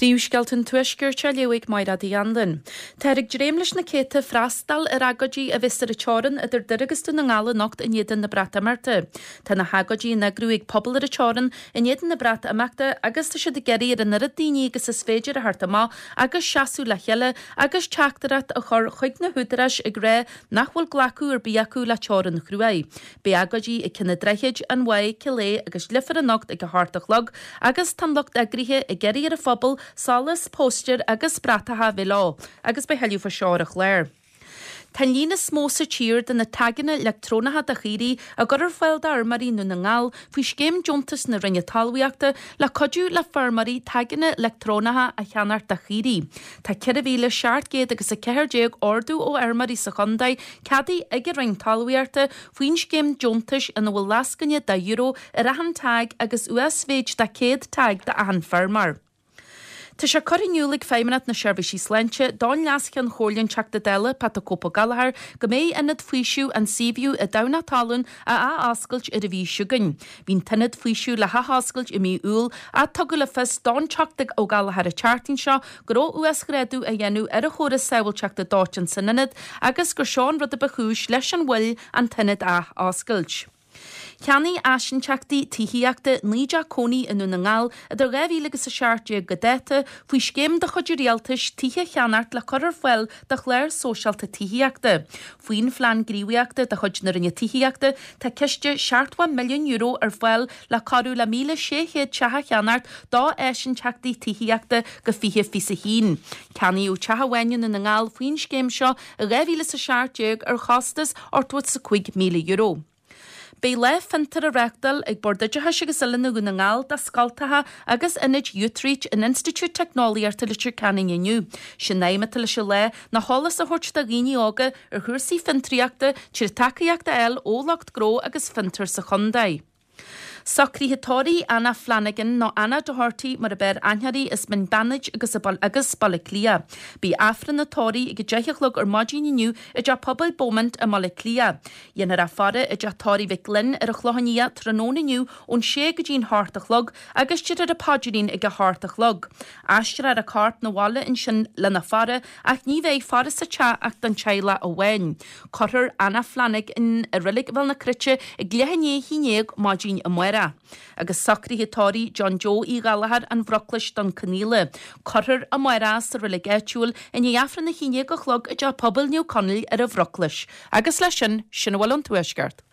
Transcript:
Príomhscéalta an Tuaiscirt á léamh ag Mairéad Uí Anluain. Táthar ag dréim leis na céadta freastal ar agóidí a bheas ar an teorainn idir Doire agus Dún na nGall anocht in éadan na Breatimeachta. Tá na hagóidí á n-eagrú ag pobal ar an teorainn in éadan na Breatimeachta agus tá siad ag iarraidh ar an oiread daoine agus is féidir a theacht amach agus seasamh le chéile agus teachtaireacht a chur chuig na húdaráis ag rá nach bhfuil glacadh ar bith acu le teorainn chruaidh. Beidh agóidí ag Cionn an Droichid, An Mhaigh, Cill Aodha agus Leifear anocht ag a hocht a chlog agus tá an lucht eagraithe ag iarraidh ar an phobal solas, póstaeir agus bratacha a bheith leo agus beidh tuilleadh faoi seo ar an chlár. Tá an líon is mó sa tír de na taigeanna leictreonacha do chaoirigh á gcur ar fáil d'fheirmeoirí i nDún na nGall faoi scéim deontais na Roinne Talmhaíochta le cuidiú le feirmeoirí taigeanna leictreonacha a cheannacht do chaoirigh. Tá 4,700 agus 14 ordú ó fheirmeoirí sa chontae ceadaithe ag an Roinn Talmhaíochta faoin scéim deontais ina bhfuil lascaine de euro ar achan tag agus uasmhéid de 100 tag d'achan feirmeoir. Tá sé curtha in iúl ag Feidhmeannacht na Seirbhísí Sláinte don Leas-Cheann Chomhairle an Teachta Dála, Pat 'The Cope Ó Gallchóir, go mbeidh Ionad Faoisimh an Seaview i dTamhnach Talún á ath-oscailt ar an mhí seo chugainn. Bhí an t-ionad faoisimh le hathoscailt i mí Iúil ach tugadh le fios don Teachta Ó Gallchóir an tseachtain seo go raibh uasghrádú á dhéanamh ar an chóras sábháilteachta dóiteáin san ionad agus gur seo an rud a ba chúis leis an mhoill an t-ionad a athoscailt. Cheannaigh áisinteachtaí tithíochta 9 dteach cónaí i nDún na nGall idir 2000 agus 17 go dáta faoi scéim de chuid an Rialtais tithe a cheannacht le cur ar fáil do chlár sóisialta tithíochta. Faoin Phlean Gníomhaíochta de chuid na Roinne Tithíochta, tá ciste €70 milliún ar fáil le cabhrú le 1,600 teach a cheannacht d'áisinteachtaí tithíochta go 2021. Ceannaíodh teach amháin i nDún na nGall faoin scéim seo i 2017 ar chostas €85,000. Beidh Lá Fiontair á reáchtáil ag Bord Oideachais agus Oiliúna Dhún na nGall do scoltacha agus ionaid Youthreach in Institiúid Teicneolaíochta Leitir Ceanainn inniu. Sé'n aidhm atá leis an lá ná eolas a thabhairt do dhaoine óga ar chúrsaí fiontraíochta trí tacaíocht a fháil ó lucht gnó agus fiontar sa chontae. Socruithe tórraimh Anna Flanagan nó Anna Doherty mar ab fhearr aithne uirthi as Mín Beannaid agus agus Baile Átha Cliath. Beidh Aifreann an tórraimh ag 10 a chlog ar maidin inniu i dTeach Pobail Beaumont i mBaile Átha Cliath. Dhéanfar a faire i dTeach Tórraimh Mhic Fhloinn ar an Chlochán Liath tráthnóna inniu ón sé go dtí'n hocht a chlog agus déarfar an paidrín ag a hocht a chlog. Aistreofar a corp 'na bhaile ansin lena faire ach ní bheidh faire sa teach ach don teaghlach amháin. Cuirfear Anna Flanagan i Reilig Bhéal na Cruite ag leath i ndiaidh a haon dhéag maidin amárach. Agus socruithe tórraimh John Joe Uí Ghallchóir, An Bhruclais, Dún Conaola. Cuirfear amárach é sa reilig áitiúil i ndiaidh Aifreann a haon dhéag a chlog i dTeach Pobail Naomh Conaill ar an Bhruclais. Agus leis sin, sin a bhfuil ón Tuaisceart.